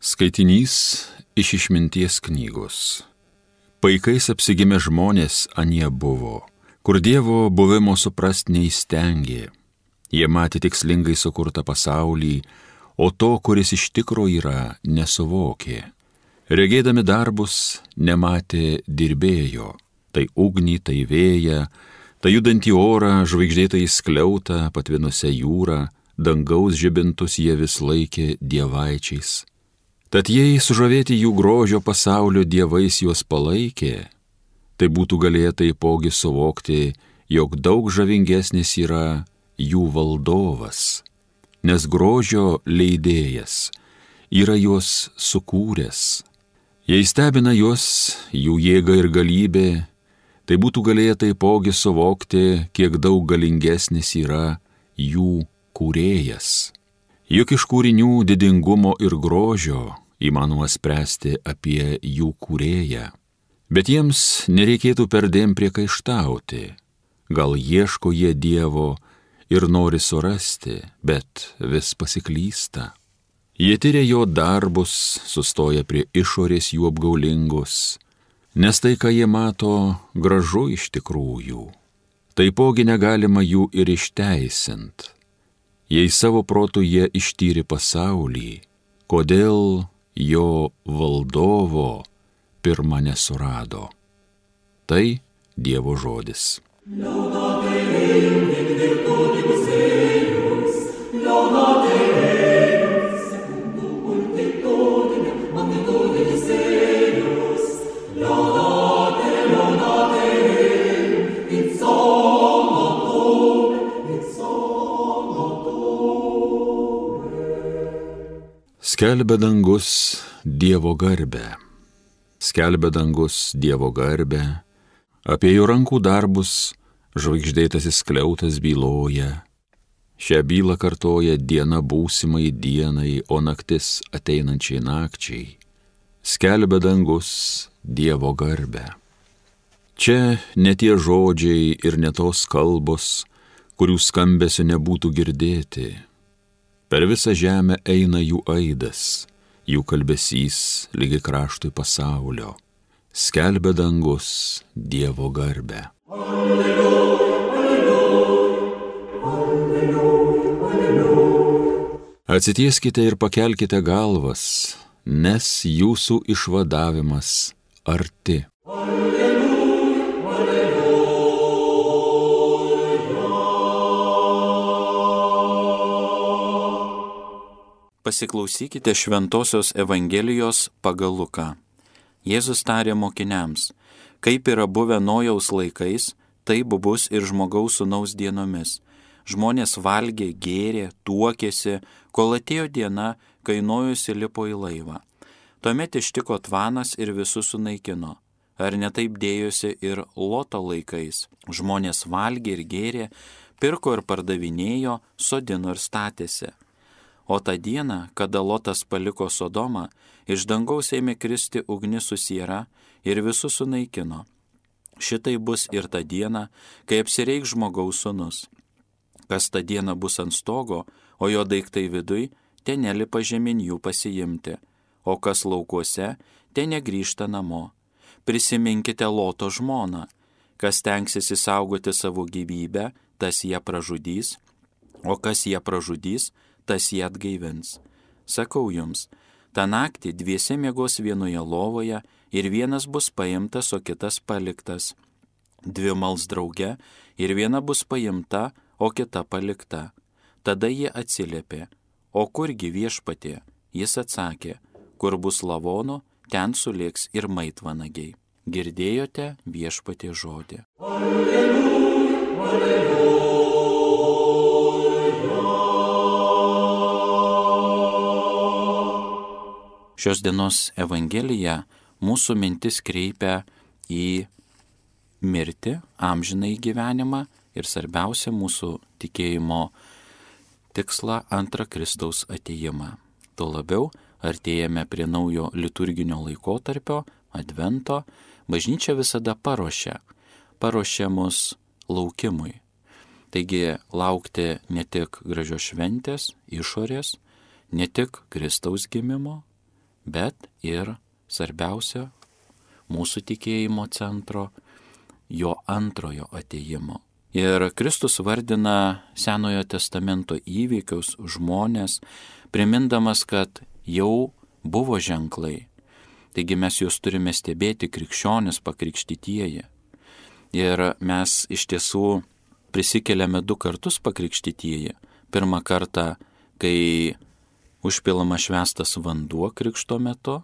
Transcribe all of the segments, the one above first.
Skaitinys iš Išminties knygos. Paikais apsigimę žmonės anie buvo, kur Dievo buvimo suprast neįstengė. Jie matė tikslingai sukurtą pasaulį, o to, kuris iš tikro yra, nesuvokė. Regėdami darbus, nematė dirbėjo, tai ugnį, tai vėją, tai judantį orą, žvaigždėtąjį skliautą, patvinusią jūrą, dangaus žibintus jie vis laikė dievaičiais. Tad jei sužavėti jų grožio pasaulio dievais juos palaikė, tai būtų galėję taipogi suvokti, jog daug žavingesnis yra jų valdovas, nes grožio leidėjas yra juos sukūręs. Jei stebina juos jų jėga ir galybė, tai būtų galėję taipogi suvokti, kiek daug galingesnis yra jų kūrėjas. Juk iš kūrinių didingumo ir grožio įmanoma spręsti apie jų kūrėją, bet jiems nereikėtų perdėm priekaištauti. Gal ieško jie Dievo ir nori surasti, bet vis pasiklysta. Jie tyria jo darbus, sustoja prie išorės jų apgaulingos, nes tai, ką jie mato, gražu iš tikrųjų. Taipogi negalima jų ir išteisint. Jei savo protu jie ištyrė pasaulį, kodėl jo valdovo pirma nesurado. Tai Dievo žodis. Skelbia dangus Dievo garbę. Skelbia dangus Dievo garbę, apie jo rankų darbus žvaigždėtasis skliautas byloja. Šią bylą kartoja diena būsimai dienai, o naktis ateinančiai nakčiai. Skelbia dangus Dievo garbę. Čia ne tie žodžiai ir ne tos kalbos, kurių skambesio nebūtų girdėti. Per visą žemę eina jų aidas, jų kalbesys lygi kraštui pasaulio. Skelbia dangus Dievo garbę. Alleluja, alleluja, alleluja. Atsitieskite ir pakelkite galvas, nes jūsų išvadavimas arti. Pasiklausykite Šventosios Evangelijos pagal Luką. Jėzus tarė mokiniams, kaip yra buvę Nojaus laikais, taip bus ir Žmogaus Sūnaus dienomis. Žmonės valgė, gėrė, tuokėsi, kol atėjo diena, kai Nojus įlipo į laivą. Tuomet ištiko tvanas ir visus sunaikino. Ar ne taip dėjosi ir Loto laikais? Žmonės valgė ir gėrė, pirko ir pardavinėjo, sodino ir statėsi. O tą dieną, kada Lotas paliko Sodomą, iš dangaus ėmė kristi ugnis su siera ir visus sunaikino. Šitai bus ir tą dieną, kai apsireikš Žmogaus Sūnus. Kas tą dieną bus ant stogo, o jo daiktai viduj, ten nelipa žemyn jų pasiimti, o kas laukuose, ten negrįžta namo. Prisiminkite Loto žmoną. Kas tenksis įsaugoti savo gyvybę, tas ją pražudys, o kas ją pražudys, tas jį atgaivins. Sakau jums, tą naktį dviese miegos vienoje lovoje ir vienas bus paimtas, o kitas paliktas. Dvi mals drauge ir viena bus paimta, o kita palikta. Tada jie atsiliepė, o kurgi Viešpatie? Jis atsakė, kur bus lavonų, ten sulėks ir maitvanagiai. Girdėjote Viešpatie žodį. Alleluja, alleluja. Šios dienos Evangelija mūsų mintis kreipia į mirtį, amžinąjį gyvenimą ir svarbiausia mūsų tikėjimo tikslą antrą Kristaus atėjimą. Tuo labiau artėjame prie naujo liturginio laikotarpio, Advento, bažnyčia visada paruošia mus laukimui. Taigi laukti ne tik gražios šventės, išorės, ne tik Kristaus gimimo, bet ir svarbiausia mūsų tikėjimo centro, jo antrojo atėjimo. Ir Kristus vardina Senojo testamento įvykius, žmonės, primindamas, kad jau buvo ženklai. Taigi mes juos turime stebėti, krikščionis, pakrikštytieji. Ir mes iš tiesų prisikeliame 2 kartus pakrikštytieji. Pirmą kartą, kai užpilama švęstas vanduo krikšto metu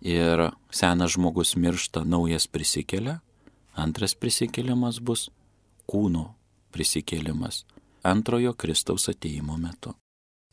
ir senas žmogus miršta, naujas prisikelia. Antras prisikėlimas bus kūno prisikėlimas antrojo Kristaus atėjimo metu.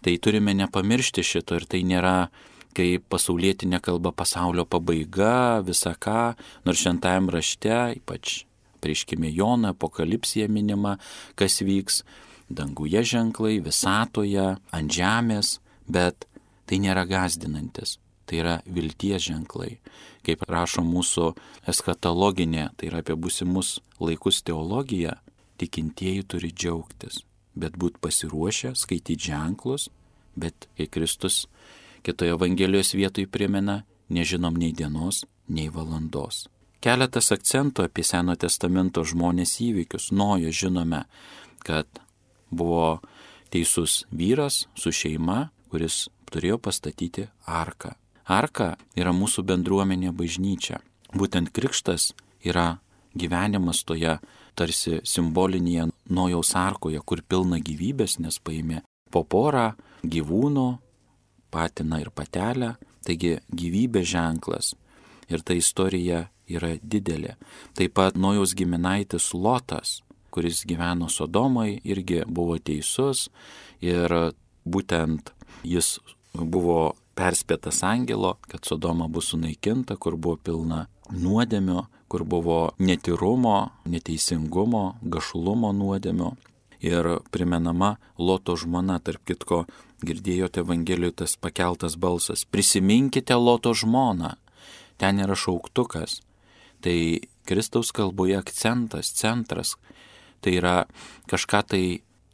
Tai turime nepamiršti šito ir tai nėra kaip pasaulietinė kalba pasaulio pabaiga, visa ką, nors šventajam rašte, ypač apreiškime Jono, apokalipsija minima, kas vyks danguje ženklai, visatoje, ant žemės, bet tai nėra gąsdinantis. Tai yra vilties ženklai. Kaip rašo mūsų eschatologinė, tai yra apie būsimus laikus teologija, tikintieji turi džiaugtis, bet būt pasiruošę, skaityti ženklus, bet kai Kristus kitoje Evangelijos vietoje primena, nežinom nei dienos, nei valandos. Keletas akcentų apie Seno testamento žmonės įvykius. Nojo žinome, kad buvo teisus vyras su šeima, kuris turėjo pastatyti arką. Arka yra mūsų bendruomenė bažnyčia. Būtent krikštas yra gyvenimas toje tarsi simbolinėje Nojaus arkoje, kur pilna gyvybės, nes paėmė po porą gyvūnų, patiną ir patelę, taigi gyvybės ženklas. Ir ta istorija yra didelė. Taip pat Nojaus giminaitis Lotas, kuris gyveno Sodomai, irgi buvo teisus ir būtent jis buvo perspėtas angelo, kad Sodoma bus sunaikinta, kur buvo pilna nuodėmio, kur buvo netyrumo, neteisingumo, gašulumo nuodėmio. Ir primenama Loto žmona, tarp kitko, girdėjote Evangelijoje tas pakeltas balsas, prisiminkite Loto žmoną, ten yra šauktukas. Tai Kristaus kalboje akcentas, centras, tai yra kažką tai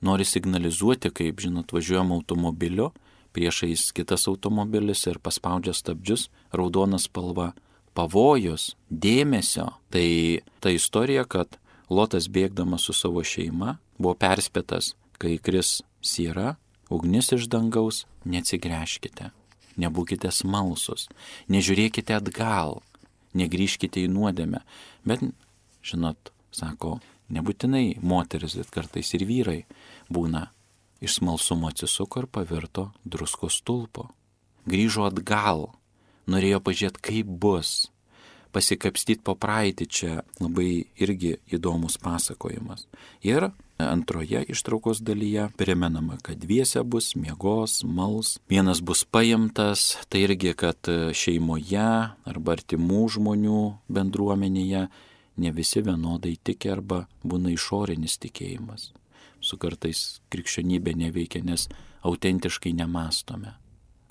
nori signalizuoti, kaip, žinot, važiuojam automobiliu, priešais kitas automobilis ir paspaudžia stabdžius, raudona spalva, pavojus, dėmesio. Tai ta istorija, kad Lotas bėgdamas su savo šeima buvo perspėtas, kai kris siera, ugnis iš dangaus, neatsigręžkite, nebūkite smalsus, nežiūrėkite atgal, negrįžkite į nuodėmę. Bet, žinot, sako, nebūtinai moteris, bet kartais ir vyrai būna. Iš smalsumo atsisuko ir pavirto druskos stulpo. Grįžo atgal, norėjo pažiūrėti, kaip bus, pasikapstyti po praeitį, čia labai irgi įdomus pasakojimas. Ir antroje ištraukos dalyje primenama, kad dviese bus, miegos, mals, vienas bus paimtas, tai irgi, kad šeimoje arba artimų žmonių bendruomenėje ne visi vienodai tiki arba būna išorinis tikėjimas. Su kartais krikščionybė neveikia, nes autentiškai nemastome.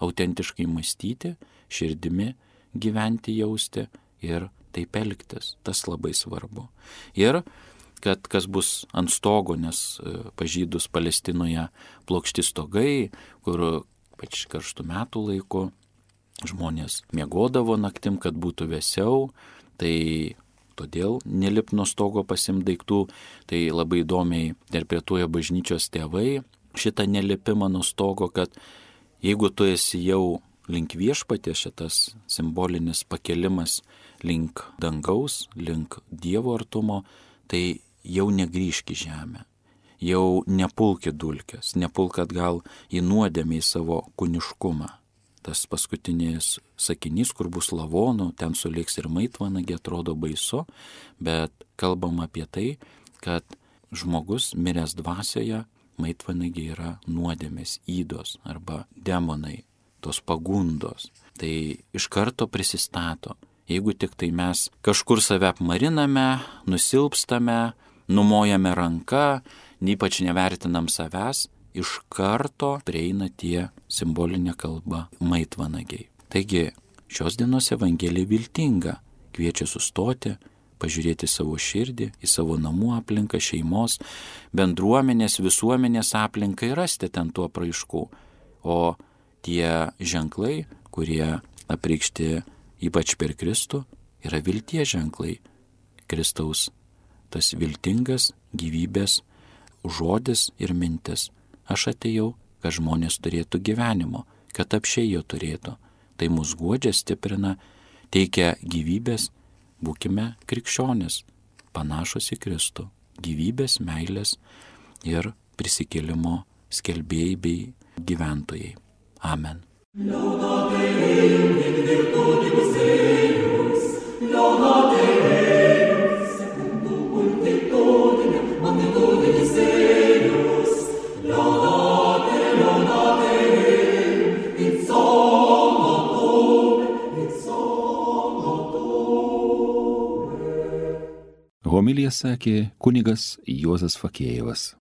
Autentiškai mąstyti, širdimi gyventi, jausti ir taip elgtis. Tas labai svarbu. Ir kad kas bus ant stogo, nes pažydus Palestinoje plokšti stogai, kur pač karštų metų laiku žmonės miegodavo naktim, kad būtų vėsiau, tai todėl nelip nuo stogo pasimt daiktų, tai labai įdomiai interpretuoja bažnyčios tėvai šitą nelipimą nuo stogo, kad jeigu tu esi jau link viešpaties, šitas simbolinis pakelimas link dangaus, link Dievo artumo, tai jau negrįžk į žemę, jau nepulk į dulkes, nepulk atgal į nuodėmę, į savo kūniškumą. Tas paskutinis sakinys, kur bus lavonų, ten sulėks ir maitvanagė, atrodo baisu, bet kalbam apie tai, kad žmogus miręs dvasioje, maitvanagė yra nuodėmės, ydos arba demonai, tos pagundos. Tai iš karto prisistato. Jeigu tik tai mes kažkur save apmariname, nusilpstame, numojame ranką, ypač nevertinam savęs, iš karto prieina tie simbolinė kalba maitvanagiai. Taigi šios dienos Evangelija viltinga, kviečia sustoti, pažiūrėti savo širdį, į savo namų aplinką, šeimos, bendruomenės, visuomenės aplinką ir rasti ten tuo apraiškų. O tie ženklai, kurie apreikšti ypač per Kristų, yra vilties ženklai. Kristaus tas viltingas gyvybės žodis ir mintis. Aš atėjau, kad žmonės turėtų gyvenimo, kad apsčiai jo turėtų. Tai mus guodžia, stiprina, teikia gyvybės. Būkime krikščionis, panašus į Kristų. Gyvybės, meilės ir prisikėlimo skelbėjai bei gyventojai. Amen. Homiliją sakė kunigas Juozas Fakėjevas.